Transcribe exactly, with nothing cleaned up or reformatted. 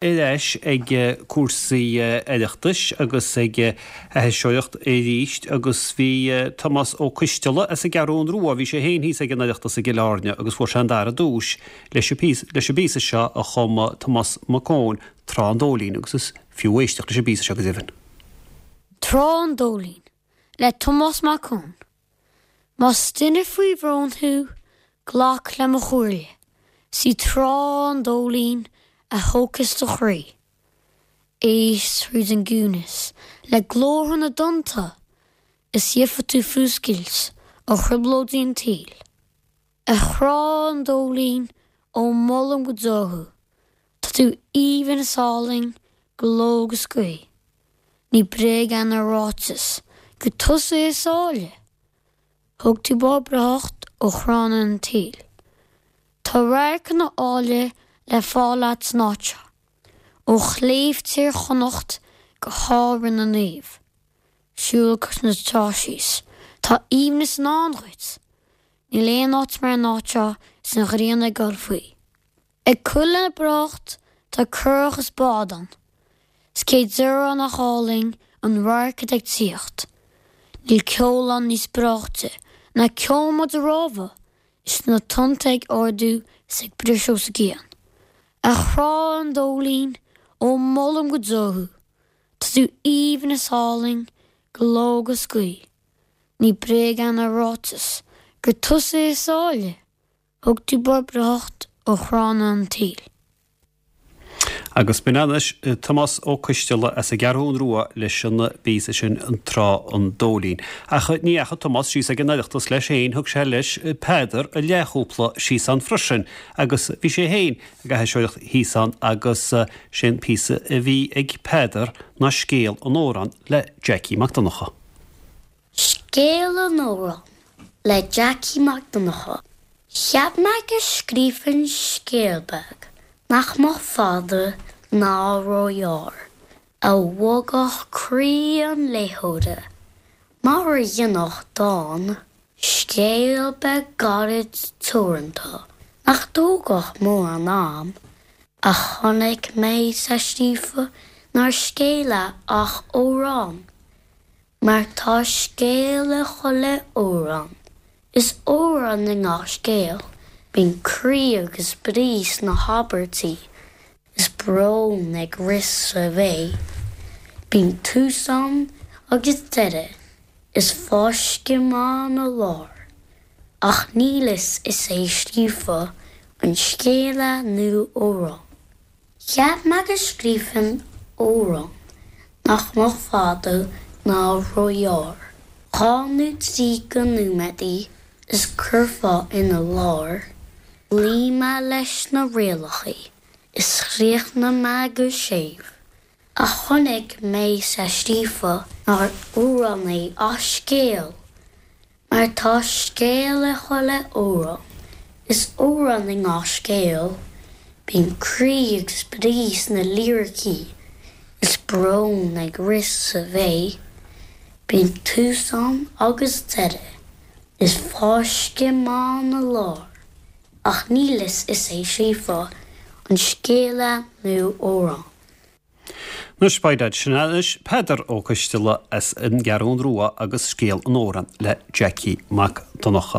Ar ais ag cúrsaí Oireachtais agus ag aithiseoireacht arís agus bhí Tomás Ó Coisteala as an gCeathrún Rua, bhí sé féin thíos ag an Oireachtas i gCill Airne agus fuair sé an dara duais leis an bpíosa seo a chum Tomás Mac Eoin, Trá an Dóilín, agus is fiú éisteacht leis an bpíosa seo go deimhin. Trá an Dóilín le Tomás Mac Eoin. Más duine faoi bhrón thú, glac le mo chomhairle, 's í Trá an Dóilín a thógfas do chroí. Éist thríd an gciúnas le glórtha na dtonnta is gheobhaidh tú fuascailt ó thrioblóidí an tsaoil. A Thrá an Dóilín, ó molaim go deo thú, tá tú aoibhinn is álainn go ló agus go gaoth. Ní bréag é ná ráiteas gur tusa is áille. Thóg tú bárr breáthacht ó thránna an tsaoil. Tá radharcanna áille le fáil agat san áit seo, ó shléibhte Thír Chonnacht go hÁrainn na Naomh. Siúl cois na trá síos, tá aoibhneas i ndán dhuit. Níl aon áit mar an áit seo is an ghrian ag dul faoi. Ag cur lena breáthacht tá curach is bád ann, 's cé déarfá nach álainn an radharc atá ag tíocht. Níl ceol ann níos breáichte ná ceol maide rámha is na tonnta ag ardú is ag briseadh sa gcian. A Thrá an Dóilín, ó molaim go deo thú, tá tú aoibhinn is álainn go ló agus gaoth. Ní bréag é ná ráiteas gur tusa is áille, thóg tú barr breáthacht ó thránna an tsaoil. Agus b'in anois Tomás Ó Coisteala as an gCeathrún Rua leis an bpíosa sin an Trá an Dóilín. Ach ní dheachaigh Tomás síos ag an Oireachtas leis féin, thug sé leis Peadar a leathchúpla síos ann freisin agus bhí sé féin ag aithiseoireacht thíos ann agus sé an píosa a bhí ag Peadar ná Scéal an Amhráin le Jackie Mac Donncha. Scéal an Amhráin le Jackie Mac Donncha. Cheap mé go scríobfainn scéal beag nach mbeadh fada ná róghearr, a bhogfadh croí an léitheora, mar a dhéanfadh dán, scéal beag gairid teoranta nach dtógfadh mórán am, ach chonaic mé 's é scríofa nár scéal é ach amhrán, mar tá scéal i chuile amhrán. Is amhrán i ngach scéal. Bíonn croí agus brí sna habairtí, is brón ag rith sa bhé. Bíonn tús ann agus deireadh, is fáisceadh maith 'na lár. Ach níl fhios is é scríofa an scéal é nó amhrán. Cheap mé go scríobfainn amhrán nach mbeadh fada ná róghearr, dhá nó trí go nóiméadaí is curfá ina lár. Luigh mé leis na rialacha is chríochnaigh mé go séimh, ach chonaic mé 's é scríofa nár amhrán é ach scéal. Mar tá scéal i chuile amhrán, is amhrán i ngach scéal, bíonn croí agus brí sna liricí, is brón ag rith sa bhé, bíonn tús ann agus deireadh, is fáisceadh maith 'na lár, ach níl fhios is é scríofa an scéal é nó amhrán. Anois beidh leat sin anois Peadar Ó Coisteala as an gCeathrún Rua agus Scéal an Amhráin le Jackie Mac Donncha.